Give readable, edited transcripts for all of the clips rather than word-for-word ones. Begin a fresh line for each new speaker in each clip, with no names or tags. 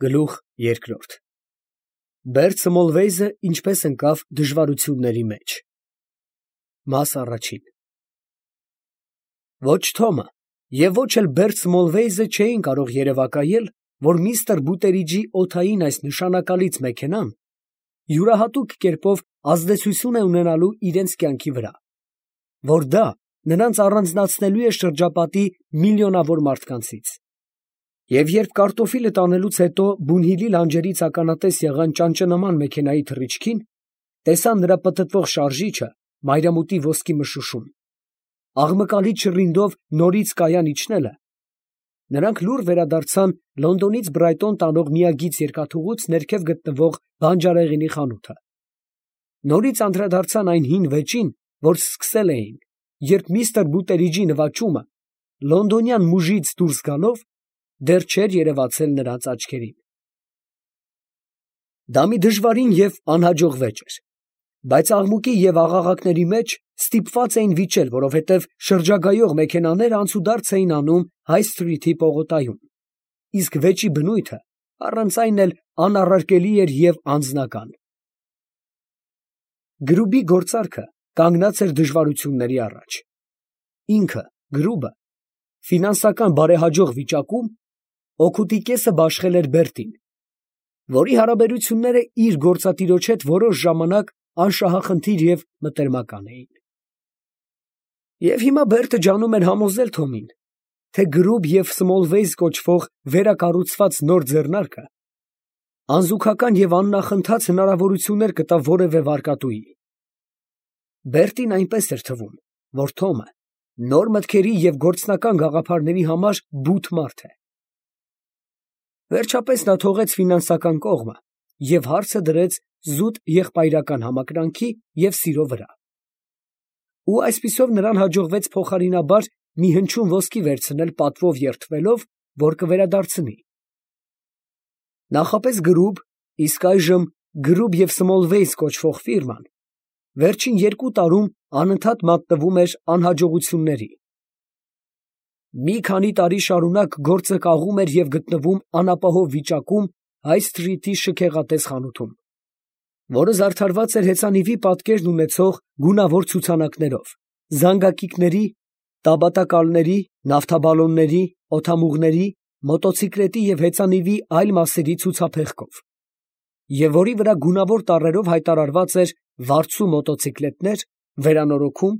Գլուխ երկրորդ Բերտ Սմոլվեյզը ինչպես ընկավ դժվարությունների մեջ։ Մաս առաջին Ոչ Թոմը և ոչ էլ Բերտ Սմոլվեյզը չէին կարող երևակայել, որ միստր Բուտերիջի օդային այս նշանակալից մեքենան յուրահատուկ կերպով ազդեցություն է ունենալու իրենց կյանքի վրա, որ դա նրանց առանձնացնելու է շրջապատի միլիոնավոր մարդկանցից։ Եվ երբ կարտոֆիլը տանելուց հետո Բունհիլի լանջերից ականատես եղան ճանճնման մեքենայի թռիչքին, տեսան նրա պտտվող շարժիչը, մայրամուտի ոսկի մշուշում, աղմկալի շռինդով նորից կայան իջնելը, նրանք լուռ վերադարձան Լոնդոնից Բրայտոն տանող միագիծ երկաթուղուց ներքև գտնվող բանջարեղենի խանութը, նորից անդրադարձան այն հին վեճին, որ սկսել էին, երբ միստր Բուտերիջի նվաճումը լոնդոնյան մուժից դուրս գալով դեռ չէր երևացել նրանց աչքերին։ Դա մի դժվարին և անհաջող վեճ էր, բայց աղմուկի և աղաղակների մեջ ստիպված էին վիճել, որովհետև շրջագայող մեքենաները անցուդարձ էին անում Հայ Սթրիթի պողոտայում, իսկ վեճի բնույթը առանց այն էլ անառարկելի էր և անձնական։ Գրուբի գործարքը կանգնած էր դժվարությունների առաջ։ Ինքը, Գրուբը, ֆինանսական բարեհաջող վիճակում, օգուտի կեսը բաշխել էր Բերտին, որի հարաբերությունները իր գործատիրոջ հետ որոշ ժամանակ անշահախնդիր և մտերմական էին։ Եվ հիմա Բերտը ջանում էր համոզել Թոմին, թե Գրուբ և Սմոլվեյզ կոչվող վերակառուցված նոր ձեռնարկը անզուգական և աննախընթաց հնարավորություններ կտա որևէ վարկատուի։ Բերտին այնպես էր թվում, որ Թոմը նոր մտքերի և գործնական գաղափարների համար բութ մարդ է։ Վերջապես նա թողեց ֆինանսական կողմը և հարցը դրեց զուտ եղբայրական համակրանքի և սիրո վրա։ Ու այսպիսով նրան հաջողվեց փոխարինաբար մի հնչյուն ոսկի վերցնել պատվով երդվելով, որ կվերադարձնի։ Նախապես Գրուբ, իսկ այժմ Գրուբ և Սմոլվեյզ կոչվող ֆիրման վերջին 2 տարում անընդհատ մատնվում էր անհաջողությունների։ Մի քանի տարի շարունակ գործը կաղում էր և գտնվում անապահով վիճակում Հայ Սթրիթի շքեղատես խանութում, որը զարդարված էր հեծանիվի պատկերն ունեցող գունավոր ցուցանակներով, զանգակիքների, տաբատակալների, նավթաբալոնների, օդամուղների, մոտոցիկլետի և հեծանիվի այլ մասերի ցուցափեղկով, և որի վրա գունավոր տառերով հայտարարված էր «Վարձու մոտոցիկլետներ, վերանորոգում,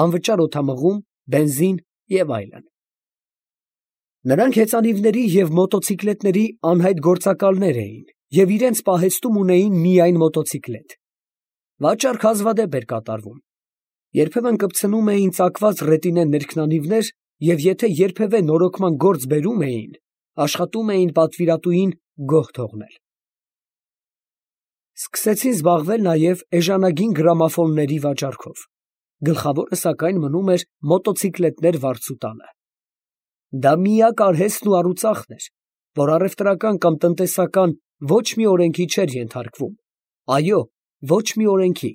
անվճար օդամղում, բենզին» և այլն։ Նրանք հեծանիվների և մոտոցիկլետների անհայտ գործակալներ էին և իրանց պահեստում ունեին միայն մոտոցիկլետ։ Վաճառք հազվադեպ էր կատարվում, երբեմն կպցնում էին ծակված ռետինե ներքնանիվներ և եթե երբևէ նորոգման գործ բերում էին, աշխատում էին պատվիրատուին գոհ թողնել։ Սկսեցին զբաղվել նաև էժանագին գրամաֆոնների վաճառքով, գլխավորը սակայն մնում էր մոտոցիկլետներ վարձու տալը։ Դա միակ արհեստն ու առուծախն էր, որ առևտրական կամ տնտեսական ոչ մի օրենքի չէր ենթարկվում, այո, ոչ մի օրենքի։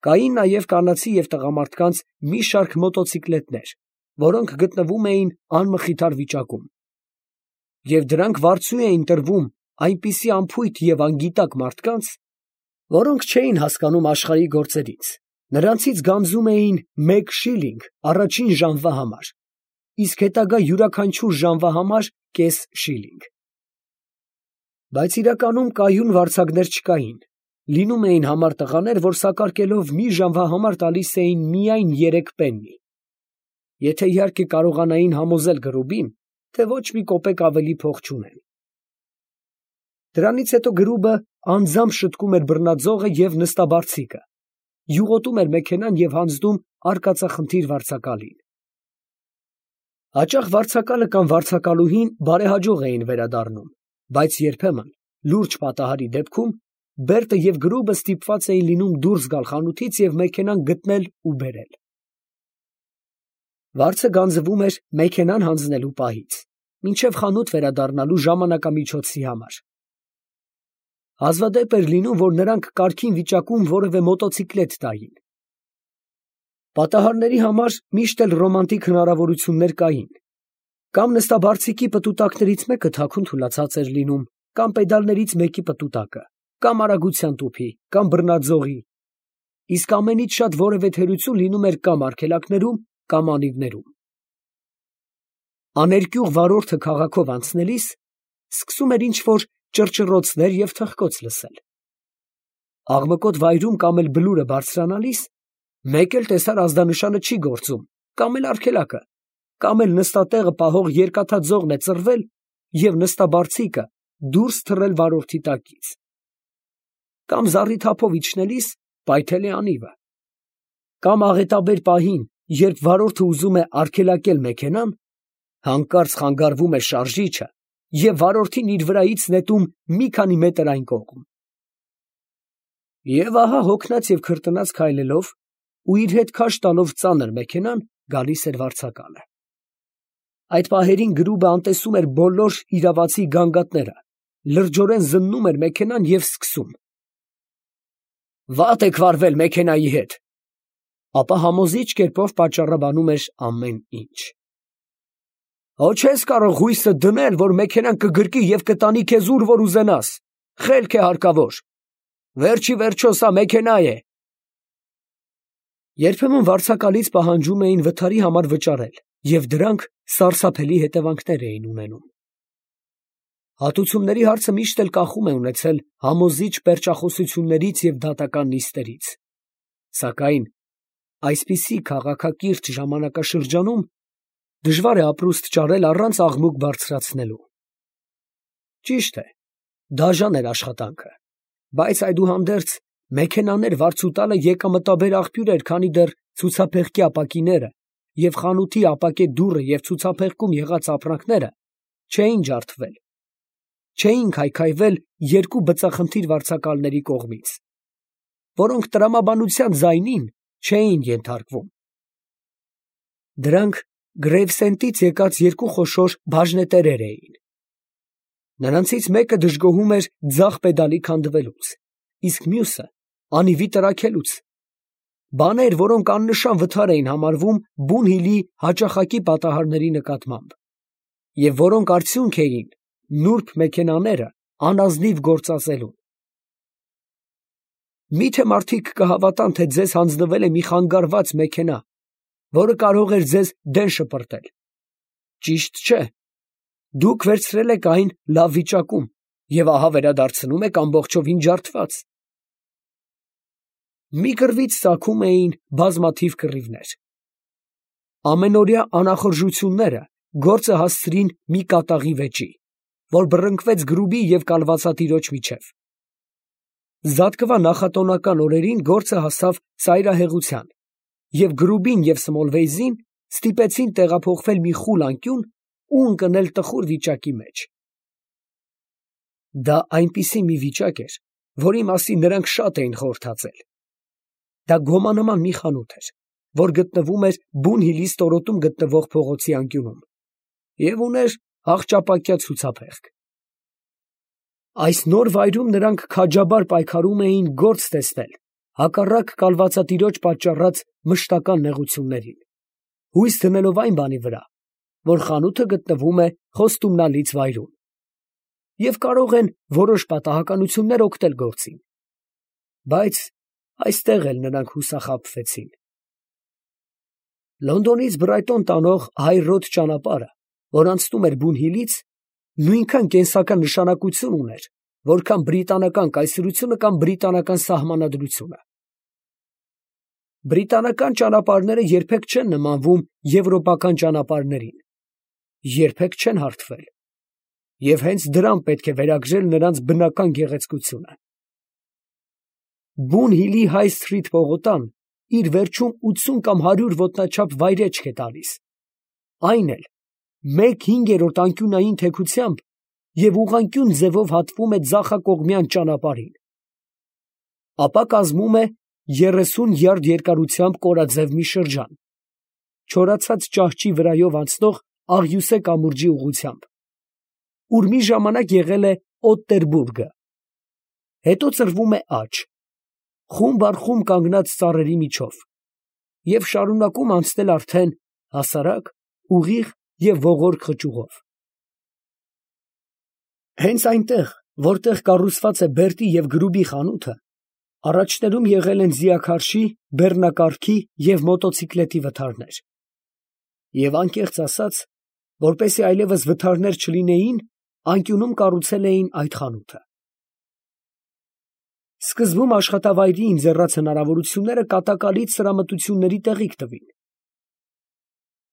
Կային նաև կանացի և տղամարդկանց մի շարք մոտոցիկլետներ, որոնք գտնվում էին անմխիթար վիճակում, և դրանք վարձու էին տրվում այնպիսի անփույթ և անգիտակ մարդկանց, որոնք չէին հասկանում աշխարհի գործերից, նրանցից գանձում էին 1 շիլինգ առաջին ժամվա համար, իսկ հետագա յուրաքանչյուր ժամվա համար կես շիլինգ։ Բայց իրականում կայուն վարձակներ չկային, լինում էին համար տղաներ, որ սակարկելով մի ժամվա համար տալիս էին միայն 3 պեննի, եթե իհարկե կարողանային համոզել Գրուբին, թե ոչ մի կոպեկ ավելի փող չունեն։ Դրանից հետո Գրուբը անձամբ շտկում էր բռնաձողը և նստաբարձիկը, յուղոտում էր մեքենան և հանձնում արկածախնդիր վարձակալին։ Հաճախ վարձակալը կամ վարձակալուհին բարեհաջող էին վերադառնում, բայց երբեմն, լուրջ պատահարի դեպքում, Բերտը և Գրուբը ստիպված էին լինում դուրս գալ խանութից և մեքենան գտնել ու բերել։ Վարձը գանձվում էր մեքենան հանձնելու պահից, մինչև խանութ վերադառնալու ժամանակամիջոցի համար։ Հազվադեպ էր լինում, որ նրանք կարգին վիճակում որևէ մոտոցիկլետ տային։ Պատահարների համար միշտ էլ ռոմանտիկ հնարավորություններ կային, Կամ նստաբարձիկի պտուտակներից մեկը թաքուն թուլացած էր լինում, կամ պեդալներից մեկի պտուտակը, կամ արագության տուփի, կամ բռնաձողի, իսկ ամենից շատ որևէ թերություն լինում էր կամ արգելակներում, կամ անիվներում։ Աներկյուղ վարորդը քաղաքով անցնելիս սկսում էր ինչ-որ ճռճռոցներ և թխկոց լսել։ Աղմկոտ վայրում կամ էլ բլուրը բարձրանալիս մեկ էլ տեսար ազդանշանը չի գործում, կամ էլ արգելակը, կամ էլ նստատեղը պահող երկաթաձողն է ծռվել և նստաբարձիկը դուրս թռել վարորդի տակից, կամ զառիթափով իջնելիս պայթել է անիվը, կամ աղետաբեր պահին, երբ վարորդը ուզում է արգելակել մեքենան, հանկարծ խանգարվում է շարժիչը և վարորդին իր վրայից նետում մի քանի մետր այն կողմ։ Եվ ահա հոգնած և քրտնած քայլելով ու իր հետ քաշ տալով ծանր մեքենան գալիս էր վարձակալը։ Այդ պահերին գրուբը անտեսում էր բոլոր իրավացի գանգատները, լրջորեն զննում էր մեքենան և սկսում. «Վատ եք վարվել մեքենայի հետ», ապա համոզիչ կերպով պատճառաբանում էր ամեն ինչ։ «Հո չես կարող հույսդ դնել, որ մեքենան կգրկի և կտանի քեզ ուր որ ուզենաս, խելք է հարկավոր, վերջի վերջո սա մեքենա է»։ Երբեմն վարձակալից պահանջում էին վթարի համար վճարել, և դրանք սարսափելի հետևանքներ էին ունենում։ Հատուցումների հարցը միշտ էլ կախում է ունեցել համոզիչ պերճախոսություններից և դատական նիստերից, սակայն այսպիսի քաղաքակիրթ ժամանակաշրջանում դժվար է ապրուստ ճարել առանց աղմուկ բարձրացնելու։ Ճիշտ է, դաժան էր աշխատանքը, բայց այդուհանդերձ մեքենաներ վարձուտալը եկամտաբեր աղբյուր էր, քանի դեռ ցուցափեղկի ապակիները և խանութի ապակե դուռը և ցուցափեղկում եղած ապրանքները չէին ջարդվել, չէին քայքայվել երկու բծախնդիր վարձակալների կողմից, որոնք տրամաբանության ձայնին չէին ենթարկվում։ Դրանք Գրեյվսենդից եկած երկու խոշոր բաժնետերեր էին։ Նրանցից մեկը դժգոհում էր ձախ պեդալի քանդվելուց, իսկ մյուսը անիվի տրաքելուց, բաներ, որոնք աննշան վթար էին համարվում բուն հիլի հաճախակի պատահարների նկատմամբ, և որոնք արդյունք էին նուրբ մեքենաները անազնիվ գործածելուն։ Մի՞թե մարդիկ կհավատան, թե ձեզ հանձնվել է մի խանգարված մեքենա, որը կարող էր ձեզ դեն շպրտել։ Ճիշտ չէ։ Դուք վերցրել եք այն լավ վիճակում և ահա վերադարձնում եք ամբողջովին ջարդված։ Մի կռվից ծագում էին բազմաթիվ կռիվներ։ Ամենօրյա անախորժությունները գործը հասցրին մի կատաղի վեճի, որ բռնկվեց գրուբի և կալվածատիրոջ միջև։ Զատկվա նախատոնական օրերին գործը հասավ ծայրահեղության, և գրուբին և Սմոլվեյզին ստիպեցին տեղափոխվել մի խուլ անկյուն ու ընկնել տխուր վիճակի մեջ։ Դա այնպիսի մի վիճակ էր, որի մասին նրանք շատ էին խորհրդածել։ Դա գոմանման մի խանութ էր, որ գտնվում էր բուն հիլի ստորոտում գտնվող փողոցի անկյունում, և ուներ աղճապակյա ցուցափեղկ։ Այս նոր վայրում նրանք քաջաբար պայքարում էին գործ տեսնել հակառակ կալվածատիրոջ պատճառած մշտական նեղություններին, հույս դնելով այն բանի վրա, որ խանութը գտնվում է խոստումնալից վայրում, և կարող են որոշ պատահականություններ օգնել գործին։ Բայց այստեղ էլ նրանք հուսախաբվեցին։ Լոնդոնից Բրայտոն տանող հայ֊ռոդ ճանապարհը, որ անցնում էր բուն հիլից, նույնքան կենսական նշանակություն ուներ, որքան բրիտանական կայսրությունը կամ բրիտանական սահմանադրությունը։ Բրիտանական ճանապարհները երբեք չեն նմանվում եվրոպական ճանապարհներին, երբեք չեն հարթվել, և հենց դրան պետք է վերագրել նրանց բնական գեղեցկությունը։ Բուն հիլի Հայ սթրիթ պողոտան իր վերջում 80 կամ 100 ոտնաչափ վայրէջք է տալիս, այն էլ 1/5 անկյունային թեքությամբ և ուղղանկյուն ձևով հատվում է ձախակողմյան ճանապարհին, ապա կազմում է 30 յարդ երկարությամբ կորաձև մի շրջան, չորացած ճահճի վրայով անցնող աղյուսե կամուրջի ուղղությամբ, ուր մի ժամանակ եղել է Օտտերբուրգը, հետո ծռվում է աջ, խումբ առ խումբ կանգնած ծառերի միջով, և շարունակում անցնել արդեն հասարակ, ուղիղ և ողորկ խճուղով։ Հենց այնտեղ, որտեղ կառուցված է Բերտի և Գրուբի խանութը, առաջներում եղել են ձիաքարշի, բեռնակառքի և մոտոցիկլետի վթարներ. և անկեղծ ասած, որպեսզի այլևս վթարներ չլինեին, անկյունում կառուցել էին այդ խանութը։ Սկզբում աշխատավայրի ընձեռած հնարավորությունները կատակալից սրամտությունների տեղիք տվին։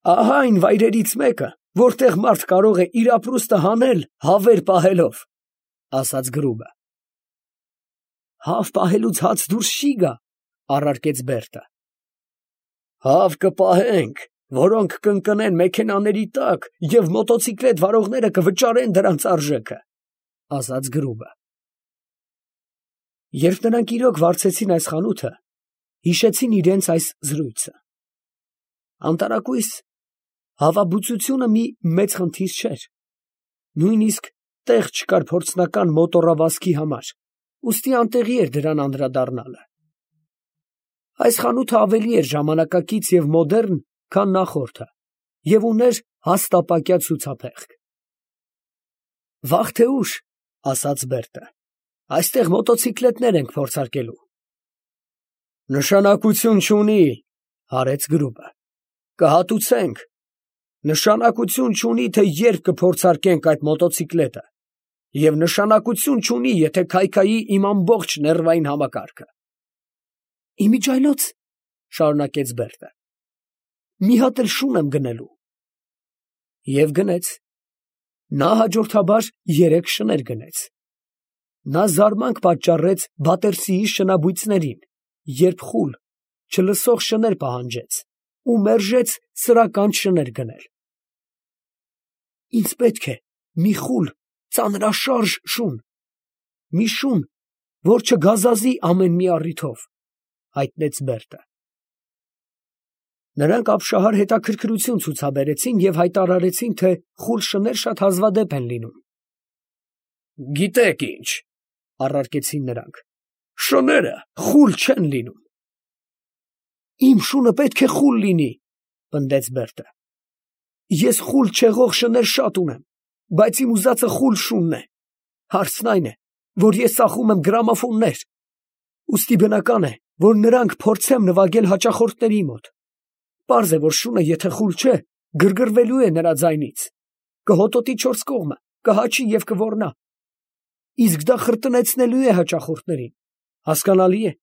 «Ահա այն վայրերից մեկը, որտեղ մարդ կարող է իր ապրուստը հանել հավեր պահելով», ֊ ասաց Գրուբը։ «Հավ պահելուց հաց դուրս չի գա», ֊ առարկեց Բերտը։ «Հավ կպահենք, որոնք կընկնեն մեքենաների տակ, և մոտոցիկլետ վարողները կվճարեն դրանց արժեքը», ֊ ասաց Գրուբը։ Երբ նրանք իրոք վարձեցին այս խանութը, հիշեցին իրենց այս զրույցը։ Անտարակույս հավաբուծությունը մի մեծ խնդիր չէր, նույնիսկ տեղ չկար փորձնական մոտոռավազքի համար, ուստի անտեղի էր դրան անդրադառնալը։ Այս խանութը ավելի էր ժամանակակից և մոդեռն, քան նախորդը, և ուներ հաստապակյա ցուցափեղկ։ «Վաղ թե ուշ, ֊ ասաց Բերտը, ֊ այստեղ մոտոցիկլետներ ենք փորձարկելու»։ «Նշանակություն չունի, ֊ հարեց Գրուբը, ֊ կհատուցենք. նշանակություն չունի, թե երբ կփորձարկենք այդ մոտոցիկլետը, և նշանակություն չունի, եթե քայքայի իմ ամբողջ նեռվային համակարգը»։ «Իմիջիայլոց, ֊ շարունակեց Բերտը, ֊ մի հատ էլ շուն եմ գնելու»։ Եվ գնեց։ Նա հաջորդաբար 3 շներ գնեց։ Նա զարմանք պատճառեց Բատերսիի շնաբույծներին, երբ խուլ, չլսող շներ պահանջեց ու մերժեց սրական շներ գնել։ «Ինձ պետք է մի խուլ, ծանրաշարժ շուն, մի շուն, որ չգազազի ամեն մի առիթով», ֊ հայտնեց Բերտը։ Նրանք ապշահար հետաքրքրություն ցուցաբերեցին և հայտարարեցին, թե խուլ շներ շատ հազվադեպ են լինում։ «Գիտեք ինչ, ֊ առարկեցին նրանք, ֊ շները խուլ չեն լինում»։ «Իմ շունը պետք է խուլ լինի, ֊ պնդեց Բերտը։ Ես խուլ չեղող շներ շատ ունեմ, բայց իմ ուզածը խուլ շունն է։ Հարցն այն է, որ ես ծախում եմ գրամոֆոններ, ուստի բնական է, որ նրանք փորձեմ նվագել հաճախորդների մոտ։ Պարզ է, որ շունը եթե խուլ չէ, գրգռվելու է նրա ձայնից, կհոտոտի 4 կողմը, կհաչի և կոռնա։ Իսկ դա խրտնեցնելու է հաճախորդներին, հասկանալի է։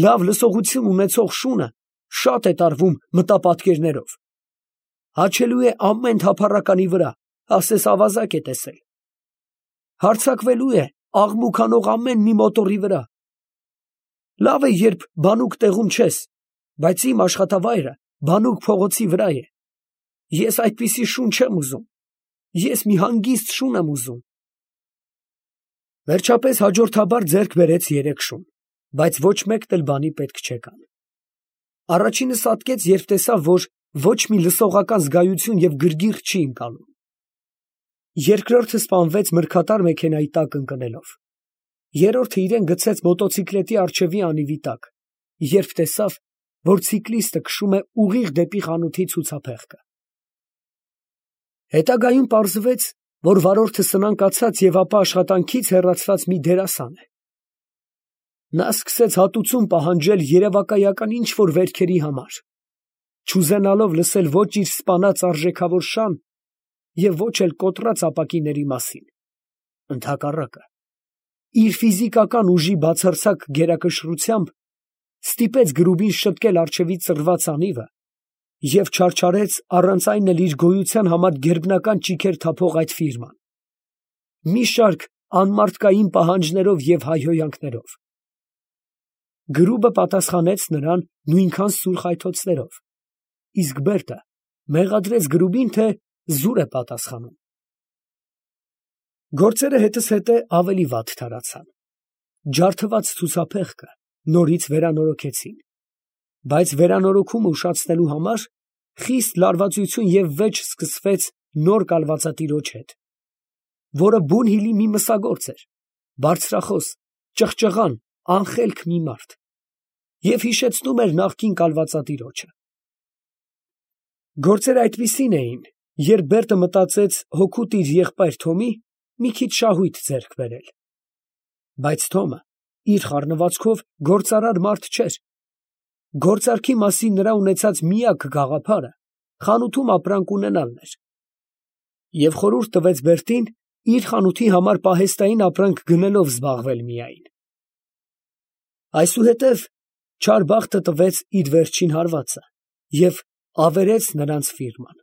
Լավ լսողություն ունեցող շունը շատ է տարվում մտապատկերներով, հաչելու է ամեն թափառականի վրա, ասես ավազակ է տեսել, հարձակվելու է աղմուկ անող ամեն մի մոտորի վրա։ Լավ է, երբ բանուկ տեղում չես, բայց իմ աշխատավայրը բանուկ փողոցի վրա է։ Ես այդպիսի շուն չեմ ուզում, ես մի հանգիստ շուն եմ ուզում։ Վերջապես հաջորդաբար ձեռք բերեց 3 շուն, բայց ոչ մեկն էլ բանի պետք չեկան։ Առաջինը սատկեց, երբ տեսավ, որ ոչ մի լսողական զգայություն և գրգիռ չի ընկալում։ Երկրորդը սպանվեց մրգատար մեքենայի տակ ընկնելով։ Երրորդը իրան գցեց մոտոցիկլետի առջևի անիվի տակ, երբ տեսավ, որ ցիկլիստը քշում է ուղիղ դեպի խանութի ցուցափեղկը։ Հետագայում պարզվեց, որ վարորդը սնանկացած և ապա աշխատանքից հեռացված մի դերասան է։ Նա սկսեց հատուցում պահանջել երևակայական ինչ֊որ վերքերի համար, չուզենալով լսել ոչ իր սպանած արժեքավոր շան և ոչ էլ կոտրած ապակիների մասին։ Ընդհակառակը, իր ֆիզիկական ուժի բացարձակ գերակշռությամբ ստիպեց Գրուբին շտկել առջևից ծռված անիվը և չարչարեց առանց այն էլ իր գոյության համար գերբնական ճիգեր թափող այդ ֆիրման, մի շարք անմարդկային պահանջներով և հայհոյանքներով։ Գրուբը պատասխանեց նրան նույնքան սուր խայթոցներով, իսկ Բերտը մեղադրեց Գրուբին, թե զուր է պատասխանում։ Գործերը հետզհետե ավելի վատ թարացան։ Ջարդված ցուցափեղկը նորից վերանորոգեցին, բայց վերանորոգումը ուշացնելու համար խիստ լարվածություն և վեճ սկսվեց նոր կալվածատիրոջ հետ, որը Բունհիլի մի մսագործ էր, բարձրախոս, ճղճղան, անխելք մի մարդ, և հիշեցնում էր նախկին կալվածատիրոջը։ Գործերը այդպիսին էին, երբ Բերտը մտածեց հօգուտ իր եղբայր Թոմի մի քիչ շահույթ ձեռք բերել. բայց Թոմը իր խառնվածքով գործարար մարդ չէր. գործարքի մասին նրա ունեցած միակ գաղափարը խանութում ապրանք ունենալն էր, և խորհուրդ տվեց Բերտին իր խանութի համար պահեստային ապրանք գնելով զբաղվել միայն. այսուհետև չար բախտը տվեց իր վերջին հարվածը և ավերեց նրանց ֆիրման։